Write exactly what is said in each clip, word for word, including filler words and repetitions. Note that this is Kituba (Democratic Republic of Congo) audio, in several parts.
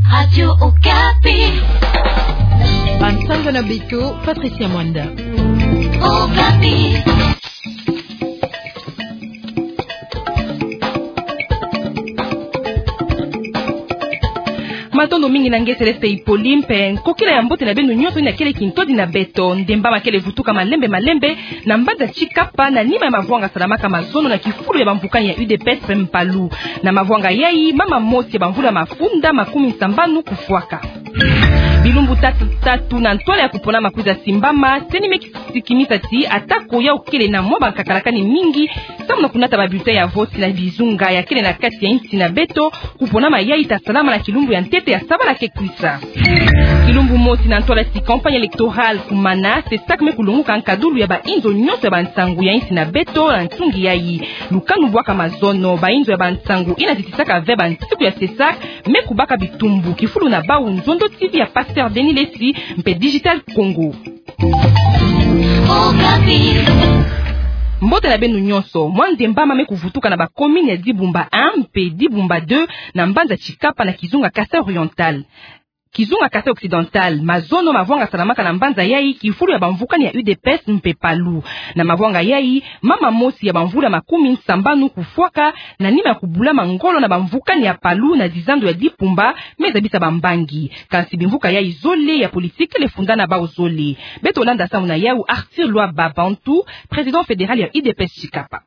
Radio Okapi. Bansango na beto, Patricia Mwanda. Okapi. Matondo mingi na nge Céleste Hippolyte, mpe nkokila ya mbote na beno nyonso yina kele kintodi na beto. Ndemba ma kele vutuka malembe malembe na mbanza Tshikapa, na nima ya mavwanga salamaka mazono na kifulu ya bamvukani ya U D P S mpe Mpalu. Na mavwanga yayi, mama mosi ya bamvula mafunda makumi sambanu kufwaka. Bilumbu tatu, tatu na ntwala ya kuponama kwiza simbama, CENI me kisikimisa ti atako yau kele na mwa bankakalakani mingi samu na kunata ba bulletin ya vote na bizunga ya kele na kati ya insi na beto, kuponama yayi ta salama na kilumbu ya ntete ya sabala ke kwisa. Kilumbu mosi na ntwala ti campagne électorale kumana, CESAC me kulonguka nkadulu ya bainzo nyonso ya bansangu ya insi na beto na nsungi yayi. Lukanu bwaka mazono, bainzo ya bansangu yina zitisaka ve bansiku ya CESAC me kubaka bitumbu, kifulu na bau nzondo T V ya Pasteur Denis Lessie mpe Digital Congo. Mbote na beno nyonso. Mwa ndemba ma me kuvutuka na ba commune ya Dibumba un mpe Dibumba deux na mbanza Tshikapa na kizunga Kasaï Oriental. Kizunga Kasaï Occidental, mazono mavwanga salamaka na mbanza yayi kifulu ya bamvukani ya U D P S mpe Mpalu. Na mavwanga yayi, mama mosi ya bamvula makumi sambanu kufwaka na nima ya kubulama ngolo na bamvukani ya Mpalu na dizando ya Dibumba, me zabisa bambangi. Kansi bimvuka yayi zole ya politique kele funda na bau zole. Beto landa samu na yau Arthur Lwaba Bantu, président fédéral ya U D P S Tshikapa.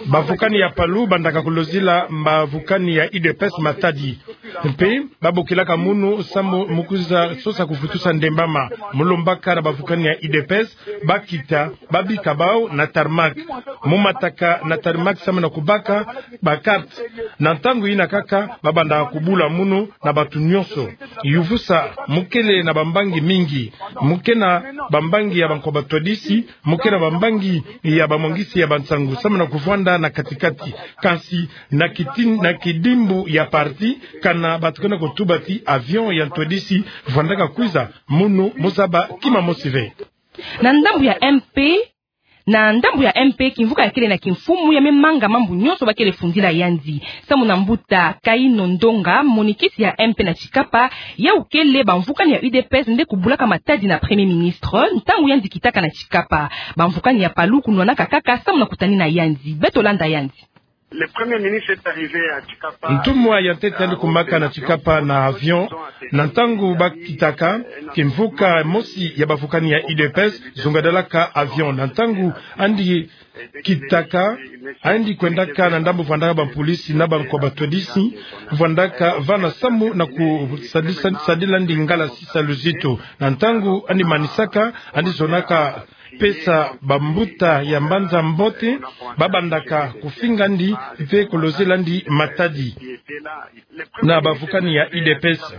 Bavukani ya Mpalu bandaka kulozila bavukani ya U D P S matadi. Mpe babokilaka munu samu mu kwiza sosa kuvutusa ndemba ma. Mu lombaka na bavukani ya U D P S, bakita, babika bau na tarmac. Mu mataka na tarmac samu na kubaka ba carte. Na ntangu yina kaka, babandaka kubula munu na bantu nyonso. Yuvusa, mu kele na bambangi mingi. Mu ke na bambangi ya bankwa batwadisi, mu ke na bambangi ya bamwangisi ya bansangu samu na kuvwanda na katikati. Kansi na kitin-, na kidimbu ya parti, kana bantu ke na kutuba ti avion ya ntwadisi vwandaka kwiza, munu mu zaba kima mosi ve. Na ndambu ya M P, na ndambu ya M P, kimvuka ya kele na kimfumu ya me manga mambu nyonso ba kele fundila yandi. Samu na mbuta Kaino Ndonga, monikisi ya M P na Tshikapa, yau kele bamvukani ya U D P S nde kubulaka matadi na Premier Ministre ntangu yandi kitaka na Tshikapa. Bamvukani ya Mpalu kunwanaka kaka samu na kutanina yandi. Beto landa yandi. Le Premier ministre est arrivé à Tshikapa. Ntumwa ya ntete yandi kumaka na Tshikapa na avion. Na ntangu bakitaka, kimvuka mosi ya bavukani ya U D P S zungadalaka avion. Na ntangu yandi kitaka, yandi kwendaka na ndambu vwandaka bampolisi na bankwa batwadisi, vwandaka vana samu na kusadisa-, sadila ndingala sisa luzitu. Na ntangu yandi manisaka, yandi zonaka pesa bambuta ya mbanza mbote, babandaka kufinga yandi mpe kulozela yandi matadi. Na bavukani ya U D P S,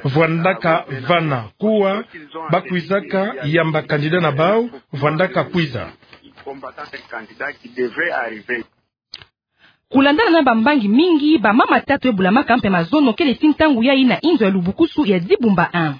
vwandaka vana kuwa, bakwizaka yamba candidat na bau, vwandaka kwiza. Kulandana na bambangi mingi, bamama tatu e bulamaka mpe mazono kele ti ntangu yayi na inzo ya lubukusu ya Dibumba un.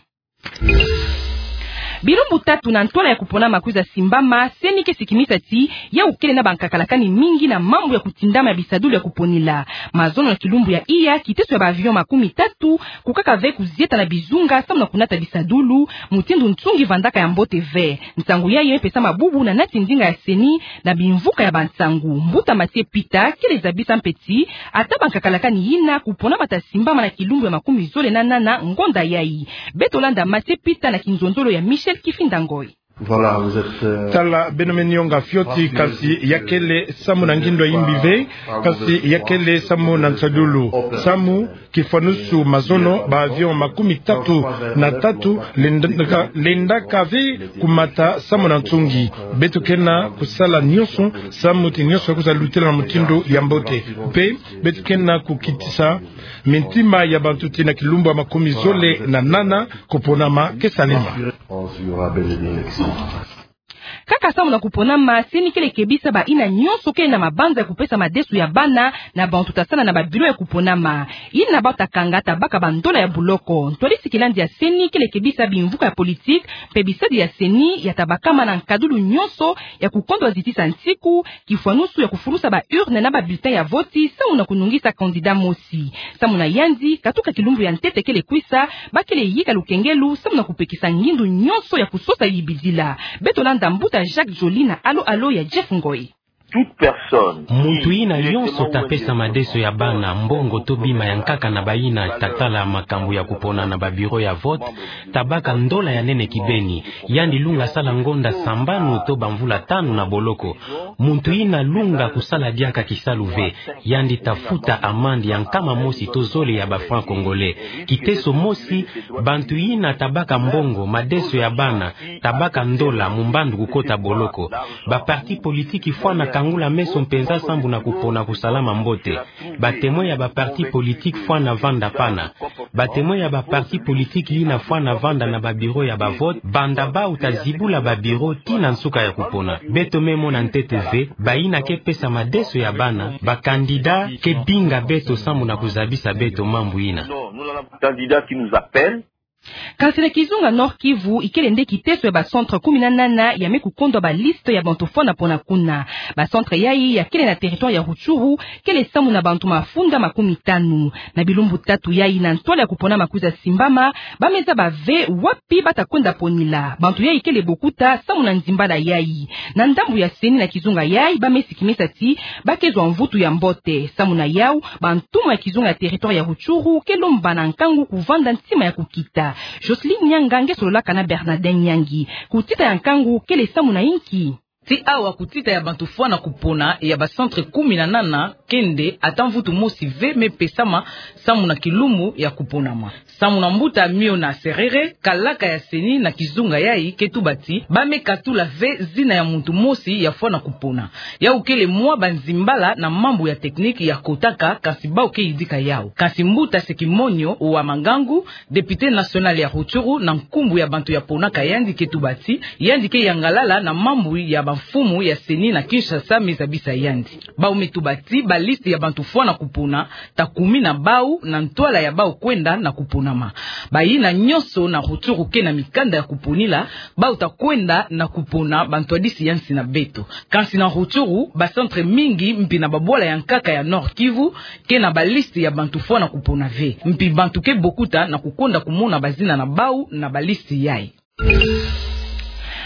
Bilumbu tatu na ntwala ya kuponama kwiza simbama, CENI ke sikimisa ti yau kele na bankakalakani mingi na mambu ya kutindama ya bisadulu ya kuponila. Mazono na kilumbu ya iya, kiteso ya ba avion makumi tatu kukaka ve kuzieta na bizunga samu na kunata bisadulu, mutindu nsungi vandaka ya mbote ve. Nsangu yayi me pesa mabubu na nati ndinga ya CENI na bimvuka ya bansangu. Mbuta Mathieu Peter kele zabisa mpe ti ata bankakalakani yina kuponama ta simbama na kilumbu ya makumi zole na nana ngonda yayi. Beto landa Mathieu Peter na kinzonzolo ya Michel Kifinda Ngoy. Voilà, vous êtes, euh, tala, beno me nionga fioti, kansi ya kele samu na ngindu ya imbi ve, kansi ya kele samu na nsadulu. Samu kifwanusu mazono, ba avion makumi tatu na tatu lendaka, lendaka ve kumata samu na nsungi. Beto ke na kusala nyonso samu ti nyonso kwiza lutela na mutindu ya mbote. Mpe beto ke na kukitisa mintima ya bantu ti na kilumbu ya makumi zole na nana kuponama ke salema. Kaka samu na kuponama, CENI kele kebisa bayina nyonso kele na mabanza ya kupesa madeso ya bana na bantu ta sala na ba bureau ya kuponama. Yina bawu ta kanga tabaka bandola ya boloko. Ntwadisi kilandi ya CENI kele kebisa bimvuka ya politiki mpe bisadi ya CENI ya tabakama na nkadulu nyonso ya kukondwa zitisa nsiku, kifwanusu ya kufulusa ba urne na ba bulletin ya voti samu na kunungisa candidat mosi. Samu na yandi, katuka kilumbu ya ntete kele kwisa, ba kele yika lukengelu samu na kupekisa ngindu nyonso ya kusosa yibidila. Beto landa mbuta Jacques Joly na alo-alo ya Jeff Ngoy. Muntu yina yonso ta pesa madeso ya bana, mbongo to bima ya nkaka na bayina ta tala makambu ya kupona na ba bureau ya vote, tabaka ndola ya nene kibeni. Yandi lunga sala ngonda sambanu to bamvula tanu na boloko. Muntu yina lunga kusala diaka kisalu ve, yandi ta futa amande ya nkama mosi to zole ya ba francs congolais. Kiteso mosi, bantu yina tabaka mbongo, madeso ya bana, tabaka ndola mu mbandu kukota boloko. Ba parti politiki fwana kangula meso mpenza sambu na kupona kusalama mbote. Ba temoin ya ba parti politiki fwana vanda pana. Ba temoin ya ba parti politiki yina fwana vanda na ba bureau ya ba vote, banda bawu ta zibula ba bureau tii na nsuka ya kupona. Beto me mona ntete ve, bayina ke pesa madeso ya bana, ba candidat ke binga beto samu na kuzabisa beto mambu yina. Kansi na kizunga Nord-Kivu, ikele nde kiteso ya ba centre kumi na nana ya me kukondwa ba liste ya bantu fwana pona kuna. Ba centre yayi ya kele na territoire ya Rutshuru, kele samu na bantu mafunda makumi tanu. Na bilumbu tatu yayi na ntwala ya kupona makwiza simbama, ba me zaba ve wapi ba ta kwenda ponila. Bantu yayi kele bokuta samu na nzimbala yayi. Na ndambu ya CENI na kizunga yayi, ba me sikimisa ti ba ke zwa mvutu ya mbote. Samu na yawu, bantumwa ya kizunga ya territoire ya Rutshuru ke lomba na nkangu kuvanda ntima ya kukita. Jocelyne Nyanga nge sololaka na Bernardin Nyangi. Kutita ya nkangu kele samu na inki? Tii awa kutita ya bantu fwana kupona ya ba centre kumi na nana ke nde ata mvutu mosi ve me pesama samu na kilumbu ya kuponama. Samu na mbuta Miona Serere, kalaka ya CENI na kizunga yayi ke tuba ti ba me katula ve zina ya muntu mosi ya fwana kupona. Yawu kele mwa ba nzimbala na mambu ya technique ya kotaka, kansi bawu ke yidika yawu. Kansi mbuta Sekimonyo wa Mangangu, député national ya Rutshuru, na nkumbu ya bantu ya ponaka yandi, ke tuba ti yandi ke yangalala na mambu ya bamfumu ya CENI na Kinshasa me zabisa yandi. Bawu me tuba ti ba liste ya bantu fwana kupona ta kumina bawu na ntwala ya bawu kwenda na kuponama. Bayina nyonso na Rutshuru ke na mikanda ya kuponila, bawu ta kwenda na kupona, ba ntwadisi ya nsi na beto. Kansi na Rutshuru, ba centre mingi mpi na babwala ya nkaka ya Nord-Kivu ke na ba liste ya bantu fwana kupona ve. Mpi bantu ke bokuta na kukonda kumona bazina na bawu na ba liste yayi.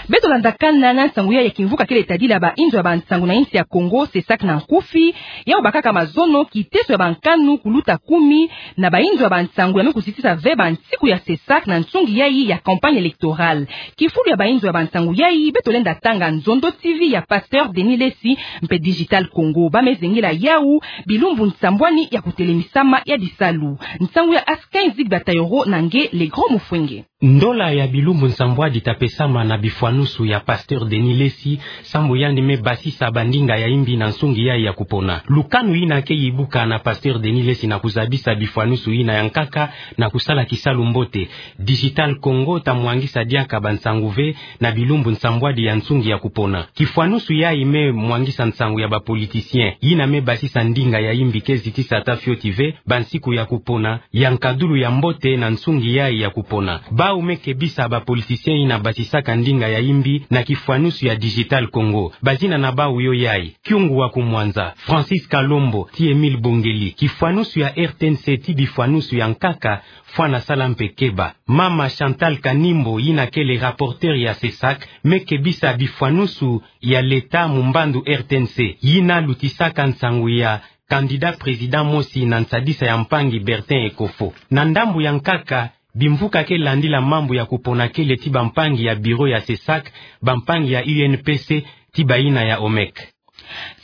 Beto landakana na nsangu yayi ya kimvuka kele tadila bainzo ya bansangu na insi ya Kongo, CESAC na nkufi. Yawu bakaka mazono, kiteso ya bankanu kuluta kumi na bainzo ya bansangu ya me kuzitisa ve bansiku ya CESAC na nsungi yayi ya campagne électorale. Kifulu ya bainzo ya bansangu yayi, beto lenda tanga Nzondo TV ya Pasteur Denis Lessi mpe Digital Congo. Ba me zengela yawu bilumbu nsambwani ya kutelemisama ya bisalu. Nsangu ya Askin Zigba Tayoro na nge Le Grand Mufwenge. Ndola ya bilumbu nsambwadi ta pesama na bifwanusu ya Pasteur Denis Lessi, sambu yandi me basisa bandinga ya imbi na nsungi yayi ya kupona. Lukanu yina ke yibuka na Pasteur Denis Lessi na kuzabisa bifwanusu yina ya nkaka na kusala kisalu mbote. Digital Congo ta mwangisa diaka bansangu ve na bilumbu nsambwadi ya nsungi ya kupona. Kifwanusu yayi me mwangisa nsangu ya ba politiciens yina me basisa ndinga ya imbi ke zitisa ata fioti ve bansiku ya kupona ya nkadulu ya mbote na nsungi yayi ya kupona. Bawu me kebisa ba politiciens yina basisaka ndinga ya imbi na kifwanusu ya Digital Congo. Bazina na bawu yo yayi: Kyungu wa Kumwanza, Francis Kalombo, ti Emile Bongeli. Kifwanusu ya R T N C ti bifwanusu ya nkaka, fwana sala mpe keba. Mama Chantal Kanimbo, yina kele rapporteur ya CESAC, me kebisa bifwanusu ya leta mu mbandu R T N C, yina lutisaka nsangu ya candidat président mosi na nsadisa ya mpangi Bertin Ekofo. Na ndambu ya nkaka, bimvuka ke landila mambu ya kupona kele ti bampangi ya bureau ya CESAC, bampangi ya U N P C, ti bayina ya OMEC.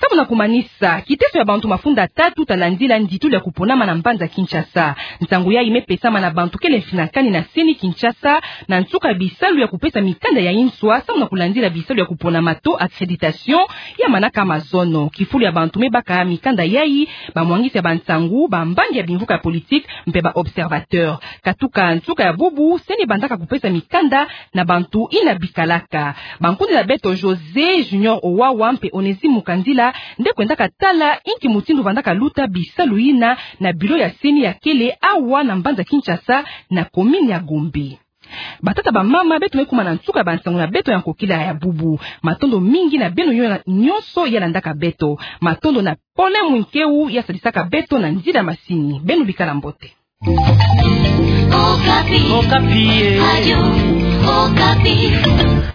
Samu na kumanisa, kiteso ya bantu mafunda tatu talandila nditulu ya kuponama na mbanza Kinshasa. Nsangu yayi mepesama na bantu kele mfinakani na CENI Kinshasa, na nsuka ya bisalu ya kupesa mikanda ya inswa, samu na kulandila bisalu ya kuponama to accréditation ya manaka mazono. Kifulu ya bantu mebaka mikanda yayi, bamwangisi ya bansangu, bambangi ya bimvuka ya politique, mpe ba observateurs. Katuka nsuka ya bubu, CENI bandaka kupesa mikanda na bantu yina bikalaka. Bankundi na beto José Junior Owawa mpe Onésime Mukandila nde kwendaka tala inki mutindu vandaka luta bisalu yina na bureau ya CENI ya kele awa na mbanza Kinshasa, na commune ya Gombe. Batata, bamama, beto me kuma na nsuka ya bansangu na beto ya nkokila ya bubu. Matondo mingi na beno nyo-, nyonso ya landaka beto. Matondo na Paulin Mwinkeu ya sadisaka beto na nzila masini. Beno bikala mbote. Okapi. Okapi, eh. Radio Okapi.